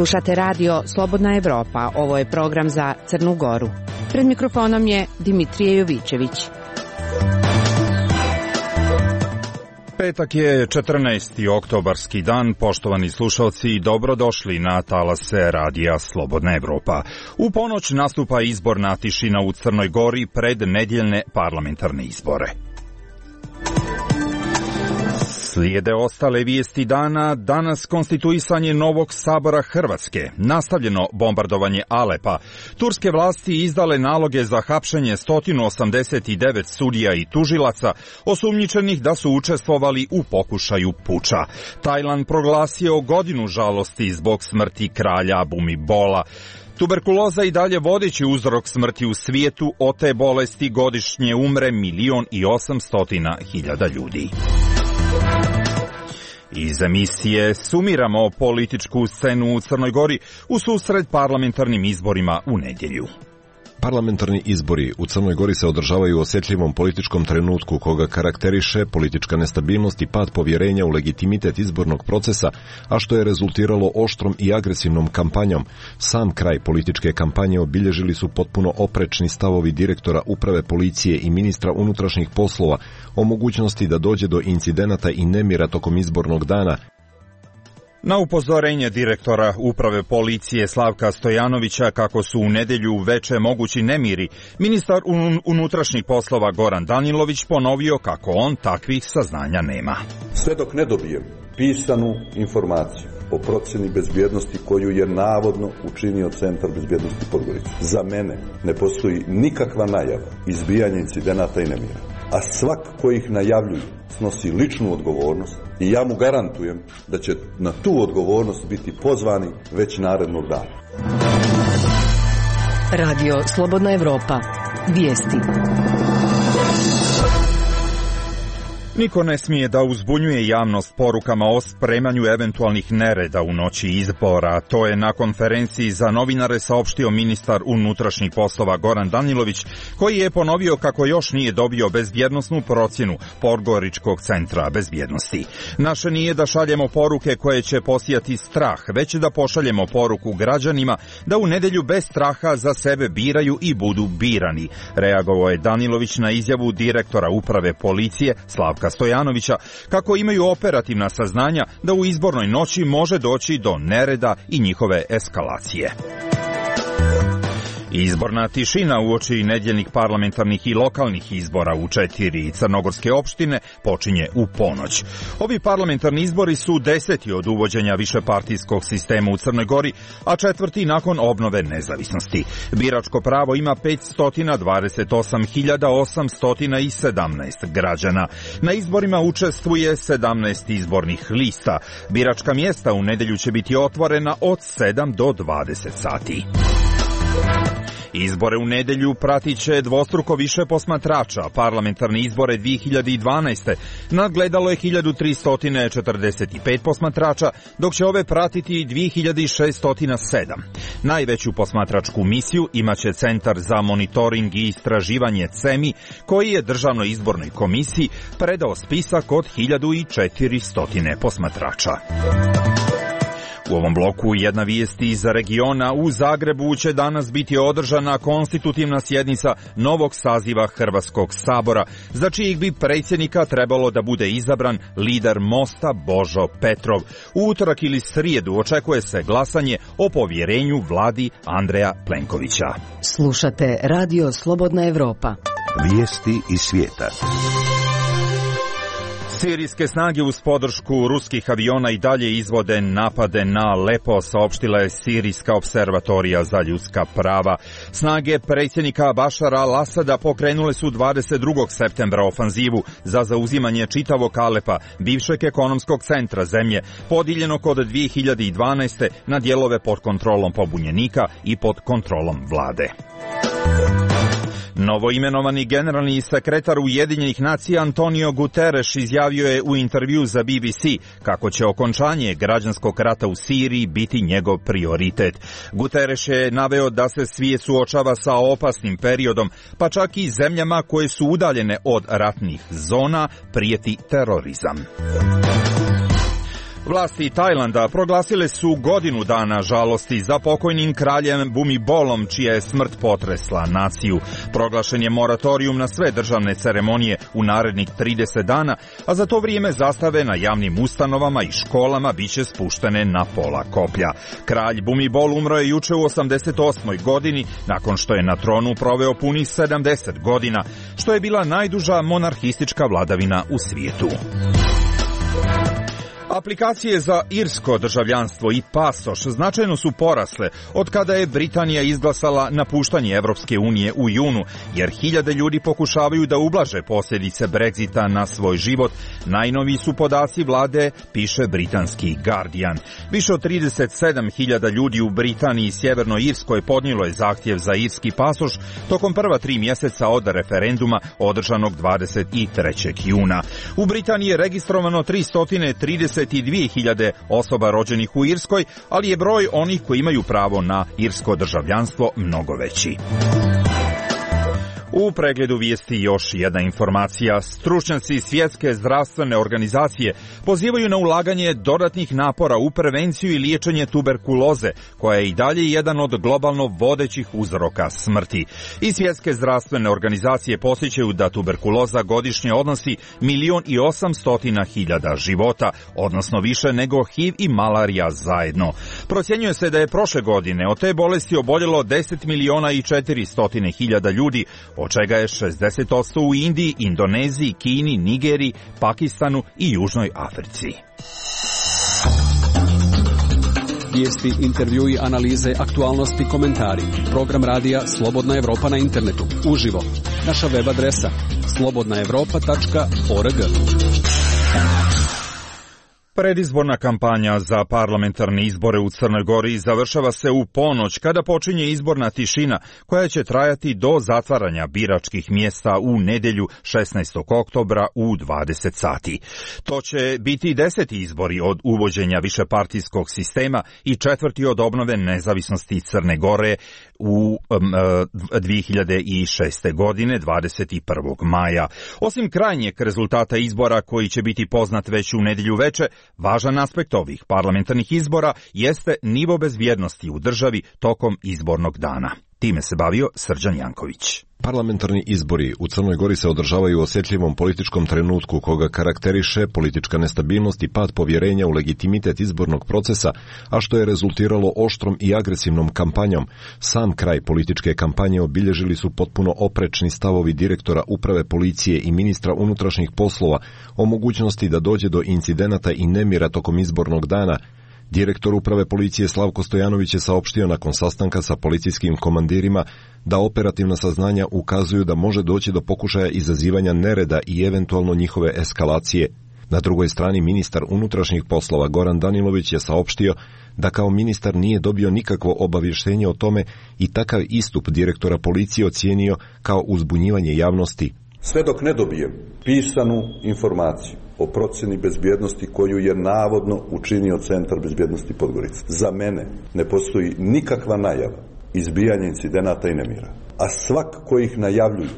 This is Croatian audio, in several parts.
Slušate radio Slobodna Evropa. Ovo je program za Crnu Goru. Pred mikrofonom je Dimitrije Jovićević. Petak je 14. oktobarski dan. Poštovani slušalci, dobrodošli na talase radija Slobodna Evropa. U ponoć nastupa izborna tišina u Crnoj Gori pred nedjeljne parlamentarne izbore. Slijede ostale vijesti dana, danas konstituisanje novog sabora Hrvatske, nastavljeno bombardovanje Alepa, turske vlasti izdale naloge za hapšenje 189 sudija i tužilaca, osumnjičenih da su učestvovali u pokušaju puča. Tajland proglasio godinu žalosti zbog smrti kralja Bhumibola. Tuberkuloza i dalje vodeći uzrok smrti u svijetu, od te bolesti godišnje umre 1.800.000 ljudi. Iz emisije sumiramo političku scenu u Crnoj Gori u susret parlamentarnim izborima u nedjelju. Parlamentarni izbori u Crnoj Gori se održavaju u osjetljivom političkom trenutku koga karakteriše politička nestabilnost i pad povjerenja u legitimitet izbornog procesa, a što je rezultiralo oštrom i agresivnom kampanjom. Sam kraj političke kampanje obilježili su potpuno oprečni stavovi direktora uprave policije i ministra unutrašnjih poslova o mogućnosti da dođe do incidenata i nemira tokom izbornog dana. Na upozorenje direktora uprave policije Slavka Stojanovića kako su u nedjelju veče mogući nemiri, ministar unutrašnjih poslova Goran Danilović ponovio kako on takvih saznanja nema. Sve dok ne dobijem pisanu informaciju o procjeni bezbjednosti koju je navodno učinio Centar bezbjednosti Podgorica, za mene ne postoji nikakva najava izbijanja incidenata i nemira. A svak ko ih najavljuje snosi ličnu odgovornost i ja mu garantujem da će na tu odgovornost biti pozvani već narednog dana. Radio Slobodna Evropa. Vijesti. Niko ne smije da uzbunjuje javnost porukama o spremanju eventualnih nereda u noći izbora. To je na konferenciji za novinare saopštio ministar unutrašnjih poslova Goran Danilović, koji je ponovio kako još nije dobio bezbjednosnu procjenu Podgoričkog centra bezbjednosti. Naše nije da šaljemo poruke koje će posijati strah, već da pošaljemo poruku građanima da u nedjelju bez straha za sebe biraju i budu birani. Reagovao je Danilović na izjavu direktora uprave policije Slavka Stojanovića kako imaju operativna saznanja da u izbornoj noći može doći do nereda i njihove eskalacije. Izborna tišina uoči nedjeljnih parlamentarnih i lokalnih izbora u 4 crnogorske opštine počinje u ponoć. Ovi parlamentarni izbori su 10. od uvođenja višepartijskog sistema u Crnoj Gori, a 4. nakon obnove nezavisnosti. Biračko pravo ima 528.817 građana. Na izborima učestvuje 17 izbornih lista. Biračka mjesta u nedjelju će biti otvorena od 7 do 20 sati. Izbore u nedjelju pratit će dvostruko više posmatrača. Parlamentarne izbore 2012. nadgledalo je 1345 posmatrača, dok će ove pratiti 2607. Najveću posmatračku misiju imaće Centar za monitoring i istraživanje CEMI, koji je Državnoj izbornoj komisiji predao spisak od 1400 posmatrača. U ovom bloku jedna vijest iz regiona. U Zagrebu će danas biti održana konstitutivna sjednica novog saziva Hrvatskog sabora, za čijeg bi predsjednika trebalo da bude izabran lider Mosta Božo Petrov. U utorak ili srijedu očekuje se glasanje o povjerenju vladi Andreja Plenkovića. Slušate Radio Slobodna Evropa. Vijesti iz svijeta. Sirijske snage uz podršku ruskih aviona i dalje izvode napade na Alepo, saopštila je Sirijska observatorija za ljudska prava. Snage predsjednika Bašara al-Asada pokrenule su 22. septembra ofanzivu za zauzimanje čitavog Alepa, bivšeg ekonomskog centra zemlje, podijeljenog od 2012. na dijelove pod kontrolom pobunjenika i pod kontrolom vlade. Novoimenovani generalni sekretar Ujedinjenih nacija Antonio Guterres izjavio je u intervju za BBC kako će okončanje građanskog rata u Siriji biti njegov prioritet. Guterres je naveo da se svijet suočava sa opasnim periodom, pa čak i zemljama koje su udaljene od ratnih zona prijeti terorizam. Vlasti Tajlanda proglasile su godinu dana žalosti za pokojnim kraljem Bhumibolom, čija je smrt potresla naciju. Proglašen je moratorijum na sve državne ceremonije u narednih 30 dana, a za to vrijeme zastave na javnim ustanovama i školama biće spuštene na pola koplja. Kralj Bhumibol umro je juče u 88. godini, nakon što je na tronu proveo punih 70 godina, što je bila najduža monarhistička vladavina u svijetu. Aplikacije za irsko državljanstvo i pasoš značajno su porasle od kada je Britanija izglasala napuštanje Evropske unije u junu, jer hiljade ljudi pokušavaju da ublaže posljedice Brexita na svoj život. Najnoviji su podaci vlade, piše britanski Guardian. Više od 37.000 ljudi u Britaniji i Sjevernoj Irskoj podnijelo je zahtjev za irski pasoš tokom prva 3 mjeseca od referenduma održanog 23. juna. U Britaniji je registrovano 332.000 osoba rođenih u Irskoj, ali je broj onih koji imaju pravo na irsko državljanstvo mnogo veći. U pregledu vijesti još jedna informacija. Stručnjaci Svjetske zdravstvene organizacije pozivaju na ulaganje dodatnih napora u prevenciju i liječenje tuberkuloze, koja je i dalje jedan od globalno vodećih uzroka smrti. I Svjetske zdravstvene organizacije podsjećaju da tuberkuloza godišnje odnosi 1.800.000 života, odnosno više nego HIV i malarija zajedno. Procjenjuje se da je prošle godine od te bolesti oboljelo 10.400.000 ljudi, od čega je 60% u Indiji, Indoneziji, Kini, Nigeriji, Pakistanu i Južnoj Africi. Vijesti, intervjui, analize, aktualnosti, komentari. Program radija Slobodna Evropa na internetu. Uživo. Naša web adresa slobodnaevropa.org. Predizborna kampanja za parlamentarne izbore u Crnoj Gori završava se u ponoć, kada počinje izborna tišina koja će trajati do zatvaranja biračkih mjesta u nedjelju 16. oktobra u 20 sati. To će biti 10. izbori od uvođenja višepartijskog sistema i 4. od obnove nezavisnosti Crne Gore u 2006. godine 21. maja. Osim krajnjeg rezultata izbora koji će biti poznat već u nedjelju veče, važan aspekt ovih parlamentarnih izbora jeste nivo bezbjednosti u državi tokom izbornog dana. Time se bavio Srđan Janković. Parlamentarni izbori u Crnoj Gori se održavaju u osjetljivom političkom trenutku koga karakteriše politička nestabilnost i pad povjerenja u legitimitet izbornog procesa, a što je rezultiralo oštrom i agresivnom kampanjom. Sam kraj političke kampanje obilježili su potpuno oprečni stavovi direktora uprave policije i ministra unutrašnjih poslova o mogućnosti da dođe do incidenata i nemira tokom izbornog dana. Direktor uprave policije Slavko Stojanović je saopštio nakon sastanka sa policijskim komandirima da operativna saznanja ukazuju da može doći do pokušaja izazivanja nereda i eventualno njihove eskalacije. Na drugoj strani ministar unutrašnjih poslova Goran Danilović je saopštio da kao ministar nije dobio nikakvo obavještenje o tome i takav istup direktora policije ocijenio kao uzbunjivanje javnosti. Sve dok ne dobijem pisanu informaciju o procjeni bezbjednosti koju je navodno učinio Centar bezbjednosti Podgorica, za mene ne postoji nikakva najava izbijanja incidenata i nemira. A svak koji ih najavljuju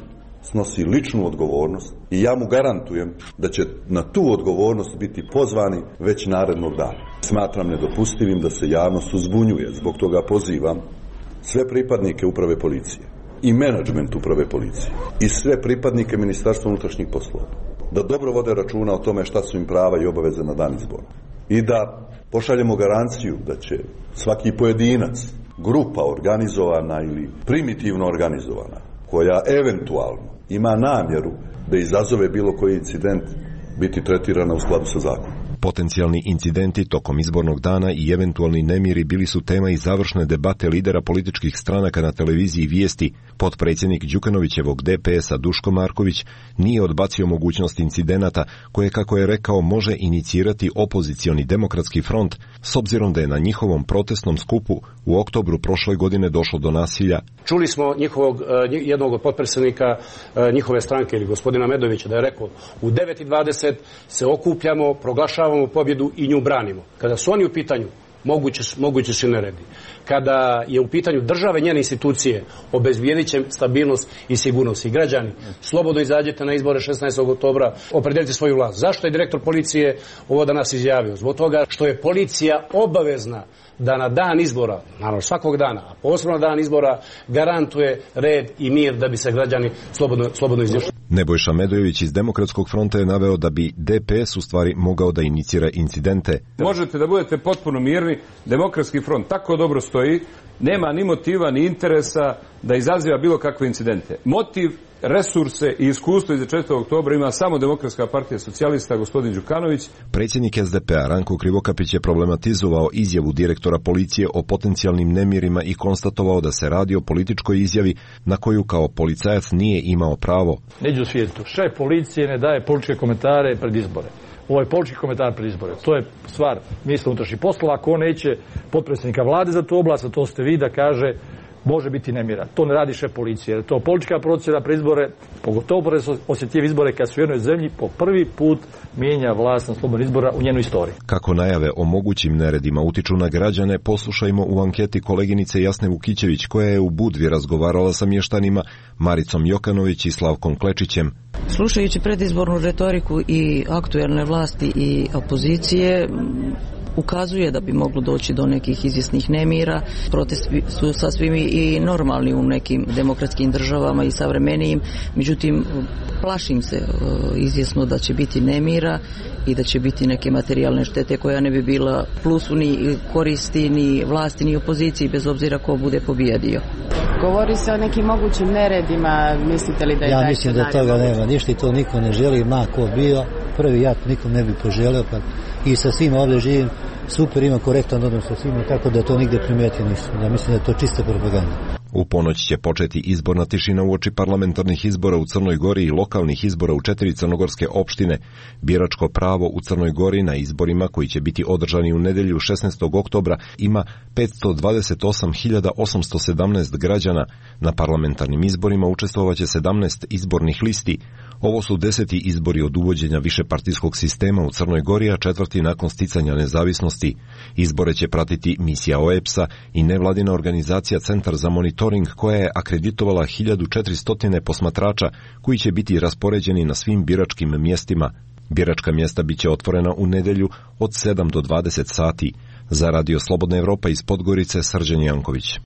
snosi ličnu odgovornost i ja mu garantujem da će na tu odgovornost biti pozvani već narednog dana. Smatram nedopustivim da se javnost uzbunjuje, zbog toga pozivam sve pripadnike uprave policije i menadžment uprave policije i sve pripadnike Ministarstva unutrašnjih poslova da dobro vode računa o tome šta su im prava i obaveze na dan izbora i da pošaljemo garanciju da će svaki pojedinac, grupa organizovana ili primitivno organizovana, koja eventualno ima namjeru da izazove bilo koji incident, biti tretirana u skladu sa zakonom. Potencijalni incidenti tokom izbornog dana i eventualni nemiri bili su tema i završne debate lidera političkih stranaka na televiziji Vijesti. Potpredsjednik Đukanovićevog DPS-a Duško Marković nije odbacio mogućnost incidenata koje, kako je rekao, može inicirati opozicioni demokratski front, s obzirom da je na njihovom protestnom skupu u oktobru prošle godine došlo do nasilja. Čuli smo jednog od potpredsjednika njihove stranke ili gospodina Medovića da je rekao u 9:20 se okupljamo, proglašavamo pobjedu i nju branimo. Kada su oni u pitanju, moguće su neredi. Kada je u pitanju države, njene institucije, obezbijedit će stabilnost i sigurnost. I građani, slobodno izađete na izbore 16. oktobra, opredelite svoju vlast. Zašto je direktor policije ovo danas izjavio? Zbog toga što je policija obavezna da na dan izbora, naravno svakog dana, a posebno na dan izbora, garantuje red i mir da bi se građani slobodno izjašnjavali. Nebojša Medojević iz Demokratskog fronta je naveo da bi DPS u stvari mogao da inicira incidente. Možete da budete potpuno mirni, Demokratski front tako dobro stoji, nema ni motiva ni interesa da izaziva bilo kakve incidente. Motiv, resurse i iskustvo iz 4. oktobra ima samo Demokratska partija socijalista, gospodin Đukanović. Predsjednik SDP-a Ranko Krivokapić je problematizovao izjavu direktora policije o potencijalnim nemirima i konstatovao da se radi o političkoj izjavi na koju kao policajac nije imao pravo. Neđe u svijetu, šef policije ne daje političke komentare pred izbore. Ovo je politički komentar pred izbore. To je stvar ministra unutrašnjih poslova. Ako on neće potpredsjednika vlade za tu oblast, a to ste vi, da kaže može biti nemira. To ne radi šef policije. Jer to politička procjena pred izbore, pogotovo pred osjetljive izbore kad su u jednoj zemlji po prvi put mijenja vlast na slobodnim izbora u njenoj istoriji. Kako najave o mogućim neredima utiču na građane, poslušajmo u anketi koleginice Jasne Vukićević, koja je u Budvi razgovarala sa mještanima Maricom Jokanović i Slavkom Klečićem. Slušajući predizbornu retoriku i aktuelne vlasti i opozicije, ukazuje da bi moglo doći do nekih izvjesnih nemira. Protesti su sasvim i normalni u nekim demokratskim državama i savremenijim, međutim plašim se izvjesno da će biti nemira i da će biti neke materijalne štete koja ne bi bila plusu ni koristi ni vlasti ni opoziciji, bez obzira ko bude pobijedio. Govori se o nekim mogućim neredima, mislite li da je Ja mislim da toga nema ništa i to niko ne želi, ma ko bio, prvi ja nikom ne bi poželio, pa i sa svima ovdje živim, super, ima korektan odnos sa svima, tako da to nigde primijetio nisam. Ja mislim da je to čista propaganda. U ponoć će početi izborna tišina uoči parlamentarnih izbora u Crnoj Gori i lokalnih izbora u 4 crnogorske opštine. Biračko pravo u Crnoj Gori na izborima koji će biti održani u nedjelju 16. oktobra ima 528.817 građana. Na parlamentarnim izborima učestvovaće 17 izbornih listi. Ovo su 10. izbori od uvođenja višepartijskog sistema u Crnoj Gori, a 4. nakon sticanja nezavisnosti. Izbore će pratiti misija OEBS-a i nevladina organizacija Centar za monitoring, koja je akreditovala 1400 posmatrača koji će biti raspoređeni na svim biračkim mjestima. Biračka mjesta biće otvorena u nedjelju od 7 do 20 sati. Za Radio Slobodna Evropa iz Podgorice, Srđan Janković.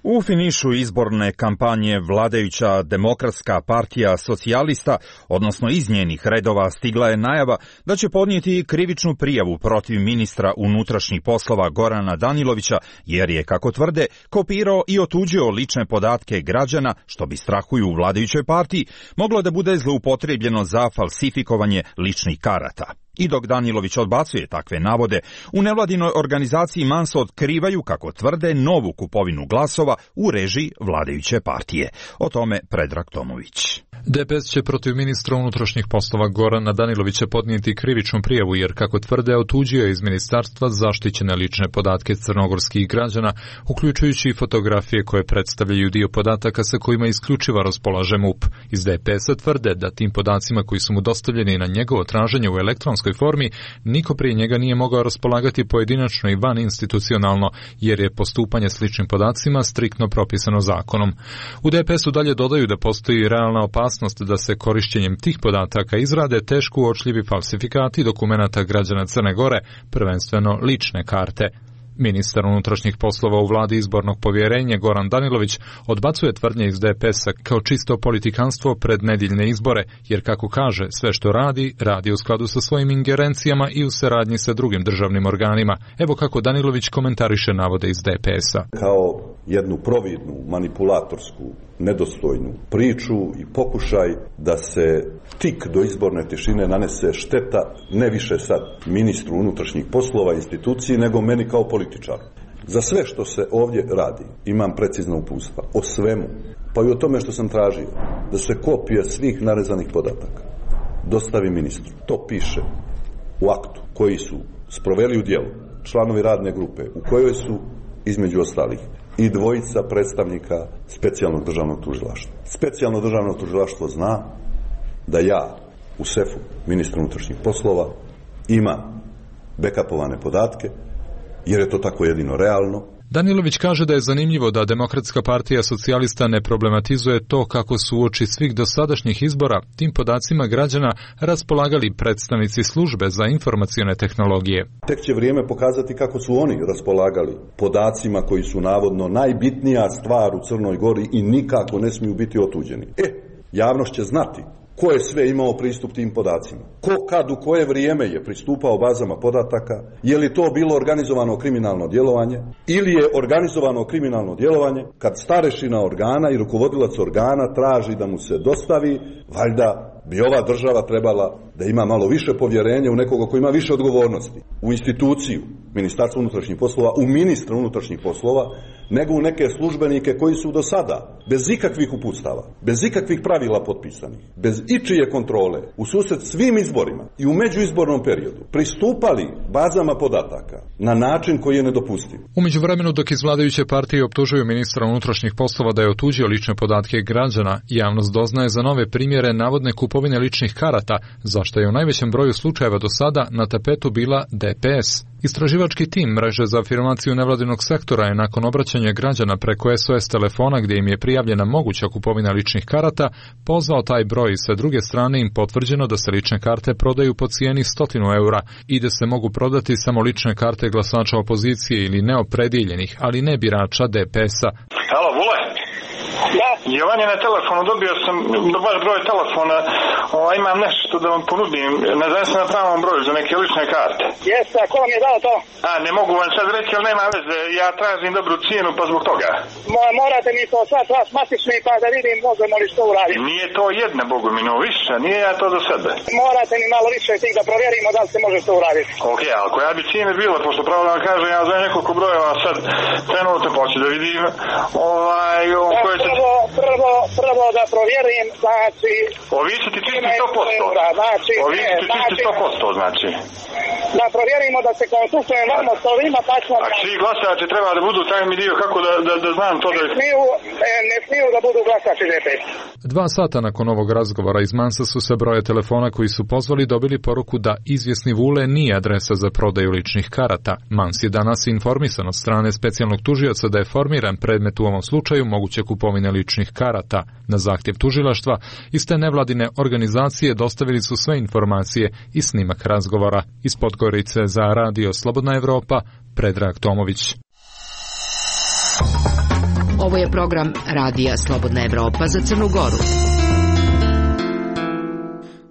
U finišu izborne kampanje vladajuća Demokratska partija socijalista, odnosno iz njenih redova, stigla je najava da će podnijeti krivičnu prijavu protiv ministra unutrašnjih poslova Gorana Danilovića, jer je, kako tvrde, kopirao i otuđio lične podatke građana, što bi, strahuju u vladajućoj partiji, moglo da bude zloupotrijebljeno za falsifikovanje ličnih karata. I dok Danilović odbacuje takve navode, u nevladinoj organizaciji Manso otkrivaju, kako tvrde, novu kupovinu glasova u režiji vladajuće partije. O tome Predrag Tomović. DPS će protiv ministra unutrašnjih poslova Gorana Danilovića podnijeti krivičnu prijavu, jer, kako tvrde, otuđio je iz ministarstva zaštićene lične podatke crnogorskih građana, uključujući i fotografije koje predstavljaju dio podataka sa kojima isključivo raspolaže MUP. Iz DPS-a tvrde da tim podacima koji su mu dostavljeni na njegovo traženje u elektronskoj formi, niko prije njega nije mogao raspolagati pojedinačno i van institucionalno, jer je postupanje s ličnim podacima striktno propisano zakonom. U DPS-u dalje dodaju da postoji realna opasnost da se korišćenjem tih podataka izrade teško uočljivi falsifikati dokumenata građana Crne Gore, prvenstveno lične karte. Ministar unutrašnjih poslova u vladi izbornog povjerenja Goran Danilović odbacuje tvrdnje iz DPS-a kao čisto politikanstvo pred nedjeljne izbore, jer, kako kaže, sve što radi u skladu sa svojim ingerencijama i u saradnji sa drugim državnim organima. Evo kako Danilović komentariše navode iz DPS-a. Kao jednu providnu, manipulatorsku, nedostojnu priču i pokušaj da se tik do izborne tišine nanese šteta ne više sad ministru unutrašnjih poslova, instituciji, nego meni kao političaru. Za sve što se ovdje radi imam precizna uputstva o svemu, pa i o tome što sam tražio, da se kopije svih narezanih podataka dostavi ministru. To piše u aktu koji su sproveli u djelo članovi radne grupe u kojoj su između ostalih i dvojica predstavnika specijalnog državnog tužilaštva. Specijalno državno tužilaštvo zna da ja u sefu ministra unutrašnjih poslova imam bekapovane podatke, jer je to tako jedino realno. Danilović kaže da je zanimljivo da Demokratska partija socijalista ne problematizuje to kako su uoči svih dosadašnjih izbora tim podacima građana raspolagali predstavnici službe za informacione tehnologije. Tek će vrijeme pokazati kako su oni raspolagali podacima koji su navodno najbitnija stvar u Crnoj Gori i nikako ne smiju biti otuđeni. Javnost će znati ko je sve imao pristup tim podacima, ko kad u koje vrijeme je pristupao bazama podataka, je li to bilo organizovano kriminalno djelovanje ili je organizovano kriminalno djelovanje kad starešina organa i rukovodilac organa traži da mu se dostavi, valjda bi ova država trebala da ima malo više povjerenja u nekoga koji ima više odgovornosti, u instituciju Ministarstva unutrašnjih poslova, u ministra unutrašnjih poslova, nego u neke službenike koji su do sada, bez ikakvih uputstava, bez ikakvih pravila potpisanih, bez ičije kontrole, u susret svim izborima i u međuizbornom periodu, pristupali bazama podataka na način koji je nedopustiv. U međuvremenu, dok iz vladajuće partije optužuju ministra unutrašnjih poslova da je otuđio lične podatke građana, javnost doznaje za nove primjere navodne kupovine ličnih karata, zašto je u najvećem broju slučajeva do sada na tapetu bila DPS. Istraživački tim Mreže za afirmaciju nevladinog sektora je nakon obraćanja građana preko SOS telefona gdje im je prijavljena moguća kupovina ličnih karata, pozvao taj broj i sa druge strane im potvrđeno da se lične karte prodaju po cijeni 100 eura i da se mogu prodati samo lične karte glasača opozicije ili neopredijeljenih, ali ne birača DPS-a. Halo, Vule? Da. Jovan je na telefonu, dobio sam baš broj telefona, imam nešto da vam ponudim, ne znam se na pravom broju za neke lične karte. Jeste, a ko vam je dao to? Ne mogu vam sad reći, ali nema veze, ja tražim dobru cijenu pa zbog toga. Morate mi to sad vas matični pa da vidim možemo li što uraditi. Nije to jedna, Bogu mi, no više, nije ja to za sebe. Morate mi malo više tih da provjerimo da li se može to uraditi. Ok, ali koja bi cijena bila, pošto pravo da vam kažem, ja znam nekoliko brojeva sad trenutno poći da vidim, koje će... Prvo da provjerim, znači... Ovi su ti čisti 100%. Ovi su ti čisti 100%, znači. Da provjerimo da se konsultujem vamo s ovima, pa ćemo... A svi glasači treba da budu taj mi dio, kako da znam to da... Ne smiju da budu glasači DPS. 2 sata nakon ovog razgovora iz Mansa su se broje telefona koji su pozvali dobili poruku da izvjesni Vule nije adresa za prodaju ličnih karata. Mans je danas informisan od strane specijalnog tužioca da je formiran predmet u ovom slučaju moguće kupovine ličnih karata. Na zahtjev tužilaštva iste nevladine organizacije dostavili su sve informacije i snimak razgovora. Iz Podgorice za Radio Slobodna Evropa, Predrag Tomović. Ovo je program Radija Slobodna Evropa za Crnu Goru.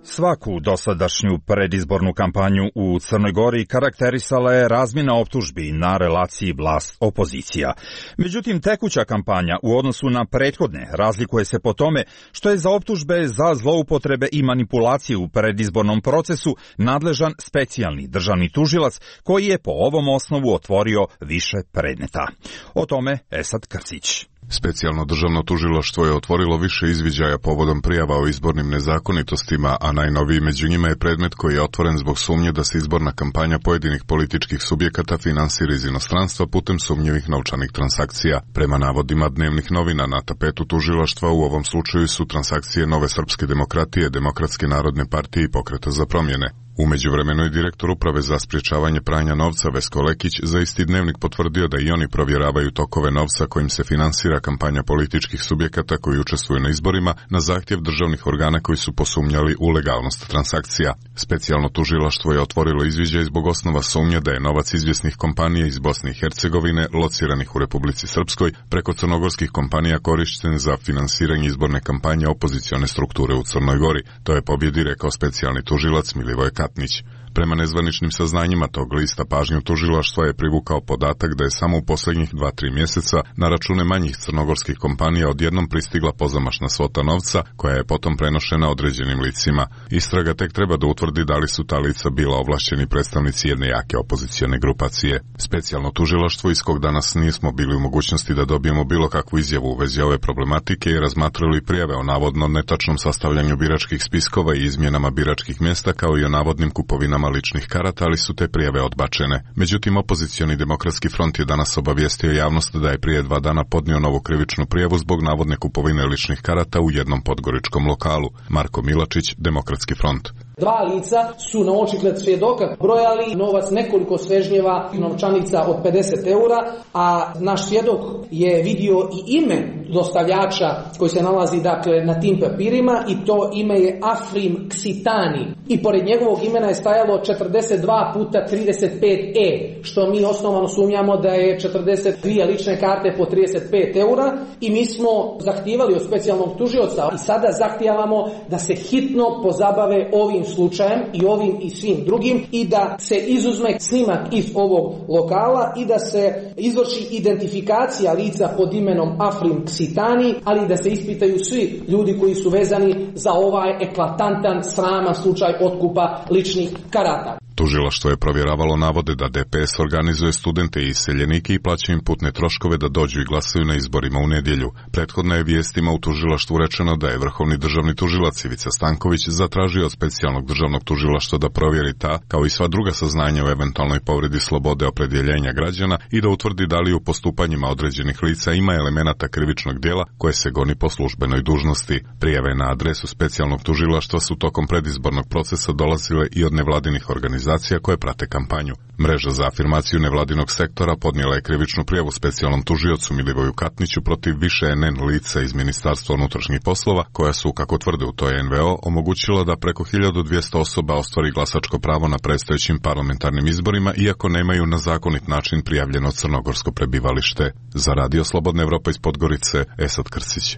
Svaku dosadašnju predizbornu kampanju u Crnoj Gori karakterisala je razmjena optužbi na relaciji vlast-opozicija. Međutim, tekuća kampanja u odnosu na prethodne razlikuje se po tome što je za optužbe za zloupotrebe i manipulacije u predizbornom procesu nadležan specijalni državni tužilac koji je po ovom osnovu otvorio više predmeta. O tome Esad Krsić. Specijalno državno tužilaštvo je otvorilo više izviđaja povodom prijava o izbornim nezakonitostima, a najnoviji među njima je predmet koji je otvoren zbog sumnje da se izborna kampanja pojedinih političkih subjekata finansira iz inostranstva putem sumnjivih novčanih transakcija. Prema navodima dnevnih novina na tapetu tužilaštva u ovom slučaju su transakcije Nove srpske demokratije, Demokratske narodne partije i Pokreta za promjene. U međuvremenu je direktor uprave za sprječavanje pranja novca Vesko Lekić za isti dnevnik potvrdio da i oni provjeravaju tokove novca kojim se finansira kampanja političkih subjekata koji učestvuju na izborima na zahtjev državnih organa koji su posumnjali u legalnost transakcija. Specijalno tužilaštvo je otvorilo izviđaj zbog osnova sumnje da je novac izvjesnih kompanija iz Bosne i Hercegovine, lociranih u Republici Srpskoj, preko crnogorskih kompanija korišten za finansiranje izborne kampanje opozicione strukture u Crnoj Gori. To je pobjedi rekao specijalni tužilac Milivoj Katnić. Prema nezvaničnim saznanjima tog lista pažnju tužilaštva je privukao podatak da je samo u posljednjih 2-3 mjeseca na račune manjih crnogorskih kompanija odjednom pristigla pozamašna svota novca koja je potom prenošena određenim licima. Istraga tek treba da utvrdi da li su ta lica bila ovlašćeni predstavnici jedne jake opozicione grupacije. Specijalno tužilaštvo iz kog danas nismo bili u mogućnosti da dobijemo bilo kakvu izjavu u vezi ove problematike i razmatrali prijave o navodno netačnom sastavljanju biračkih spiskova i izmjenama biračkih mjesta kao i o navodnim kupovinama ličnih karata, ali su te prijave odbačene. Međutim, opozicioni Demokratski front je danas obavijestio javnost da je prije 2 dana podnio novu krivičnu prijavu zbog navodne kupovine ličnih karata u jednom podgoričkom lokalu. Marko Milačić, Demokratski front. 2 lica su na očigled svjedoka brojali novac nekoliko svežnjeva novčanica od 50 eura, a naš svjedok je vidio i ime dostavljača koji se nalazi dakle na tim papirima i to ime je Afrim Ksitani i pored njegovog imena je stajalo 42 puta 35 što mi osnovano sumnjamo da je 42 lične karte po 35 eura i mi smo zahtijevali od specijalnog tužioca i sada zahtijevamo da se hitno pozabave ovim slučajem i ovim i svim drugim i da se izuzme snimak iz ovog lokala i da se izvrši identifikacija lica pod imenom Afrim Ksitani, ali da se ispitaju svi ljudi koji su vezani za ovaj eklatantan, sraman slučaj otkupa ličnih karata. Tužilaštvo je provjeravalo navode da DPS organizuje studente i iseljenike i plaća im putne troškove da dođu i glasaju na izborima u nedjelju. Prethodno je vijestima u tužilaštvu rečeno da je vrhovni državni tužilac Ivica Stanković zatražio od specijalnog državnog tužilaštva da provjeri ta, kao i sva druga saznanja o eventualnoj povredi slobode opredjeljenja građana i da utvrdi da li u postupanjima određenih lica ima elemenata krivičnog djela koje se goni po službenoj dužnosti. Prijave na adresu specijalnog tužilaštva su tokom predizbornog procesa dolazile i od nevladinih organizacija koje prate kampanju. Mreža za afirmaciju nevladinog sektora podnijela je krivičnu prijavu specijalnom tužiocu Milivoju Katniću protiv više NN lica iz Ministarstva unutrašnjih poslova, koja su, kako tvrde u toj NVO, omogućila da preko 1200 osoba ostvari glasačko pravo na predstojećim parlamentarnim izborima, iako nemaju na zakonit način prijavljeno crnogorsko prebivalište. Za Radio Slobodna Evropa iz Podgorice, Esad Krsić.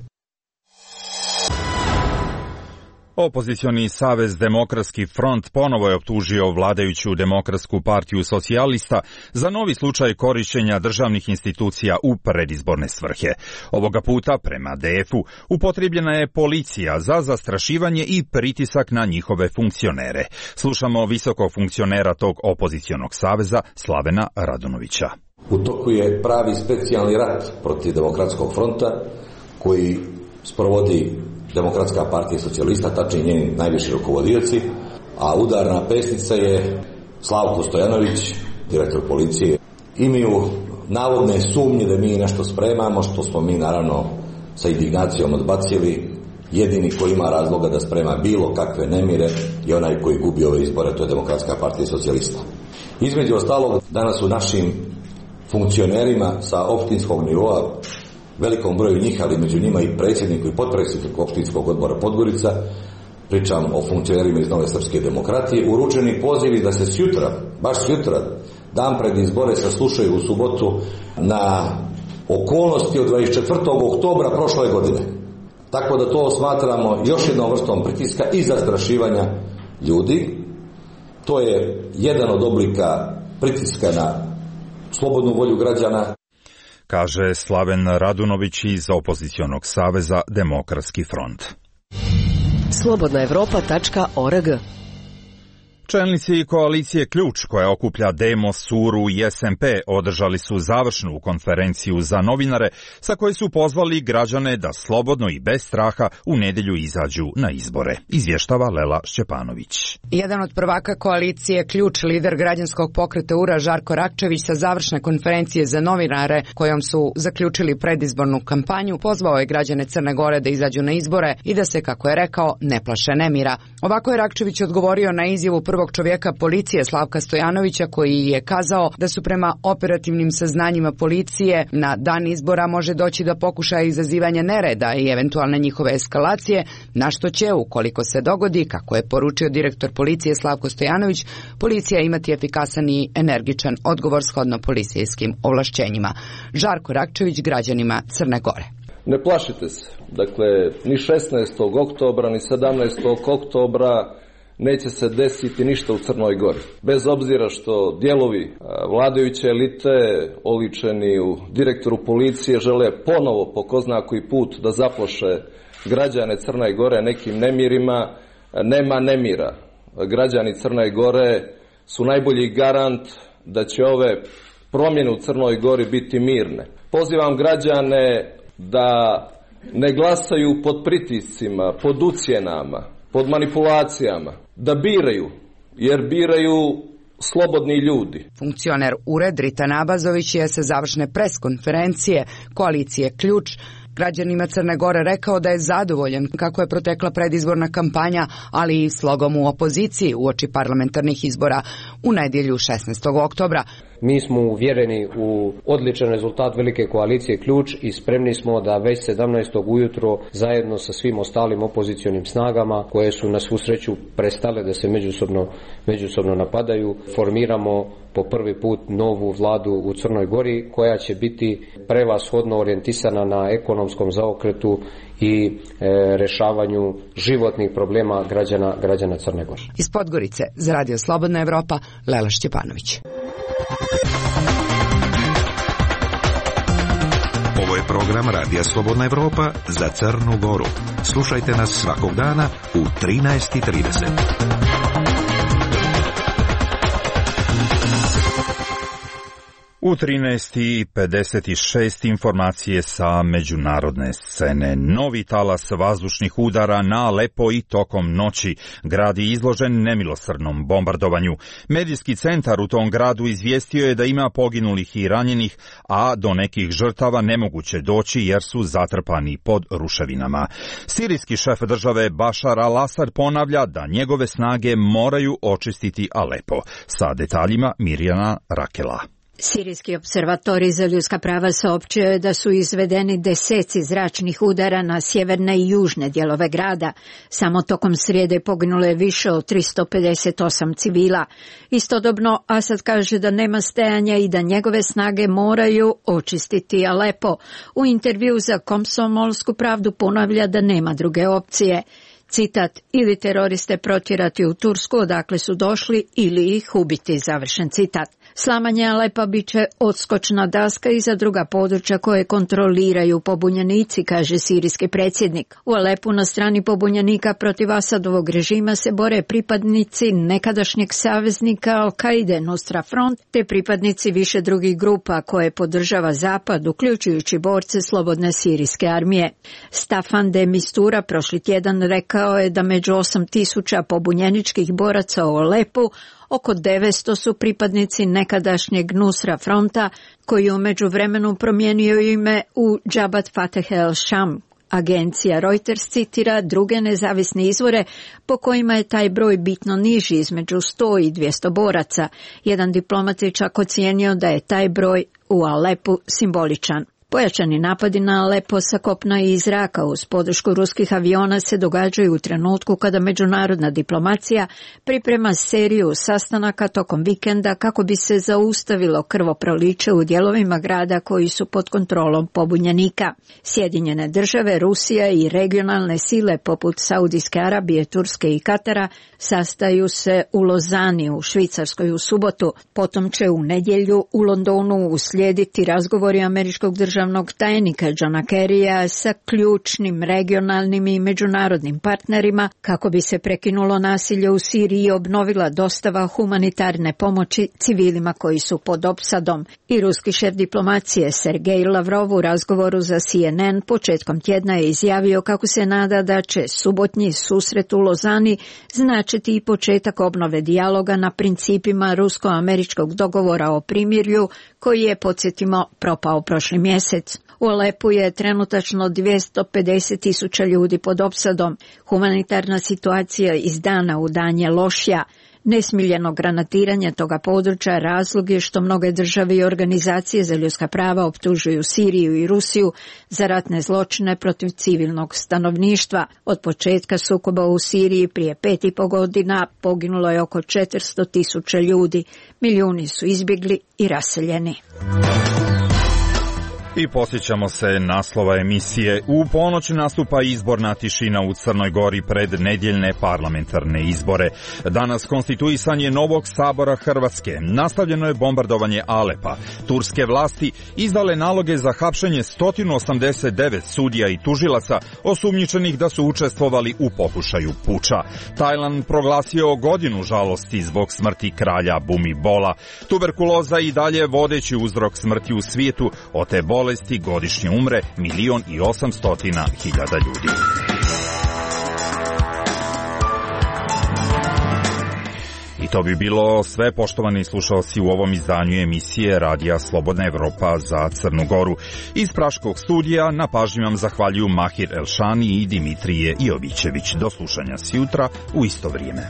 Opozicioni savez Demokratski front ponovo je optužio vladajuću Demokratsku partiju socijalista za novi slučaj korišćenja državnih institucija u predizborne svrhe. Ovoga puta, prema DF-u, upotrijebljena je policija za zastrašivanje i pritisak na njihove funkcionere. Slušamo visokog funkcionera tog opozicionog saveza, Slavena Radunovića. U toku je pravi specijalni rat protiv Demokratskog fronta koji sprovodi Demokratska partija socijalista, tačnije njeni najviši rukovodioci, a udarna pesnica je Slavko Stojanović, direktor policije. Imaju navodne sumnje da mi nešto spremamo, što smo mi naravno sa indignacijom odbacili. Jedini koji ima razloga da sprema bilo kakve nemire je onaj koji gubi ove izbore, to je Demokratska partija socijalista. Između ostalog, danas u našim funkcionerima sa opštinskog nivoa, velikom broju njih, ali među njima i predsjedniku i potpredsjedniku opštinskog odbora Podgorica, pričam o funkcionerima iz Nove srpske demokratije, uručeni pozivi da se sjutra, baš sjutra, dan pred izbore saslušaju u subotu na okolnosti od 24. oktobra prošle godine. Tako da to smatramo još jednom vrstom pritiska i zastrašivanja ljudi. To je jedan od oblika pritiska na slobodnu volju građana. Kaže Slaven Radunović iz opozicionog saveza Demokratski front. Slobodnaevropa.org. Čelnici koalicije Ključ, koja okuplja Demos, Suru i SMP, održali su završnu konferenciju za novinare sa koje su pozvali građane da slobodno i bez straha u nedjelju izađu na izbore. Izvještava Lela Šćepanović. Jedan od prvaka koalicije Ključ, lider građanskog pokreta URA Žarko Rakčević, sa završne konferencije za novinare kojom su zaključili predizbornu kampanju, pozvao je građane Crne Gore da izađu na izbore i da se, kako je rekao, ne plaše nemira. Ovako je Rakčević odgovorio na izjavu prvog čovjeka policije Slavka Stojanovića, koji je kazao da su prema operativnim saznanjima policije na dan izbora može doći do pokušaja izazivanja nereda i eventualne njihove eskalacije, na što će, ukoliko se dogodi, kako je poručio direktor policije Slavko Stojanović, policija imati efikasan i energičan odgovor shodno policijskim ovlašćenjima. Žarko Rakčević građanima Crne Gore. Ne plašite se. Dakle, ni 16. oktobra, ni 17. oktobra neće se desiti ništa u Crnoj Gori. Bez obzira što dijelovi vladajuće elite, oličeni u direktoru policije, žele ponovo po ko zna koji put da zaplaše građane Crne Gore nekim nemirima, nema nemira. Građani Crne Gore su najbolji garant da će ove promjene u Crnoj Gori biti mirne. Pozivam građane da ne glasaju pod pritiscima, pod ucjenama, pod manipulacijama, da biraju, jer biraju slobodni ljudi. Funkcioner URED Dritan Abazović je sa završne preskonferencije koalicije Ključ građanima Crne Gore rekao da je zadovoljan kako je protekla predizborna kampanja, ali i slogom u opoziciji uoči parlamentarnih izbora u nedjelju 16. oktobra. Mi smo uvjereni u odličan rezultat velike koalicije Ključ i spremni smo da već 17. ujutro zajedno sa svim ostalim opozicionim snagama koje su na svu sreću prestale da se međusobno napadaju, formiramo po prvi put novu vladu u Crnoj Gori koja će biti prevashodno orijentisana na ekonomskom zaokretu i rješavanju životnih problema građana Crne Gore. Iz Podgorice za Radio Slobodna Evropa, Lela Šćepanović. Ovo je program Radija Slobodna Evropa za Crnu Goru. Slušajte nas svakog dana u 13:30. U 13:56 informacije sa međunarodne scene. Novi talas vazdušnih udara na Alepo i tokom noći. Grad je izložen nemilosrdnom bombardovanju. Medijski centar u tom gradu izvijestio je da ima poginulih i ranjenih, a do nekih žrtava nemoguće doći jer su zatrpani pod ruševinama. Sirijski šef države Bašar al-Asad ponavlja da njegove snage moraju očistiti Alepo. Sa detaljima Mirjana Rakela. Sirijski observatorij za ljudska prava saopćio je da su izvedeni deseci zračnih udara na sjeverne i južne dijelove grada. Samo tokom srijede poginulo je više od 358 civila. Istodobno Asad kaže da nema stajanja i da njegove snage moraju očistiti Alepo. U intervju za Komsomolsku pravdu ponavlja da nema druge opcije. Citat, ili teroriste protjerati u Tursku odakle su došli ili ih ubiti, završen citat. Slamanje Alepa bit će odskočna daska i za druga područja koje kontroliraju pobunjenici, kaže sirijski predsjednik. U Alepu na strani pobunjenika protiv Asadovog režima se bore pripadnici nekadašnjeg saveznika Al-Kaide Nusra Front te pripadnici više drugih grupa koje podržava Zapad, uključujući borce Slobodne sirijske armije. Staffan de Mistura prošli tjedan rekao je da među 8.000 pobunjeničkih boraca u Alepu oko 900 su pripadnici nekadašnjeg Nusra Fronta, koji u međuvremenu promijenio ime u Jabhat Fateh el-Sham. Agencija Reuters citira druge nezavisne izvore po kojima je taj broj bitno niži, između 100 i 200 boraca. Jedan diplomat je čak ocijenio da je taj broj u Alepu simboličan. Pojačani napadi na Alepo sa kopna i iz zraka uz podršku ruskih aviona se događaju u trenutku kada međunarodna diplomacija priprema seriju sastanaka tokom vikenda kako bi se zaustavilo krvoproliće u dijelovima grada koji su pod kontrolom pobunjenika. Sjedinjene države, Rusija i regionalne sile poput Saudijske Arabije, Turske i Katara sastaju se u Lozani u Švicarskoj u subotu. Potom će u nedjelju u Londonu uslijediti razgovori američkog državnog tajnika Johna Kerrya sa ključnim regionalnim i međunarodnim partnerima kako bi se prekinulo nasilje u Siriji i obnovila dostava humanitarne pomoći civilima koji su pod opsadom. I ruski šef diplomacije Sergej Lavrov u razgovoru za CNN početkom tjedna je izjavio kako se nada da će subotnji susret u Lozani značiti i početak obnove dijaloga na principima rusko-američkog dogovora o primirju koji je, podsjetimo, propao prošli mjesec. U Alepu je trenutačno 250.000 ljudi pod opsadom. Humanitarna situacija iz dana u dan je lošija. Nesmiljeno granatiranje toga područja razlog je što mnoge države i organizacije za ljudska prava optužuju Siriju i Rusiju za ratne zločine protiv civilnog stanovništva. Od početka sukoba u Siriji prije 5,5 godina poginulo je oko 400.000 ljudi. Milijuni su izbjegli i raseljeni. I posjećamo se naslova emisije. U ponoć nastupa izborna tišina u Crnoj Gori pred nedjeljne parlamentarne izbore. Danas konstituisanje novog sabora Hrvatske. Nastavljeno je bombardovanje Alepa. Turske vlasti izdale naloge za hapšenje 189 sudija i tužilaca osumnjičenih da su učestvovali u pokušaju puča. Tajland proglasio godinu žalosti zbog smrti kralja Bumibola. Tuberkuloza i dalje vodeći uzrok smrti u svijetu. Od te bolesti godišnje umre 1.800.000 ljudi. I to bi bilo sve, poštovani slušalci, u ovom izdanju emisije Radija Slobodna Evropa za Crnu Goru. Iz Praškog studija na pažnji vam zahvaljuju Mahir Elšani i Dimitrije Jovićević. Do slušanja sjutra u isto vrijeme.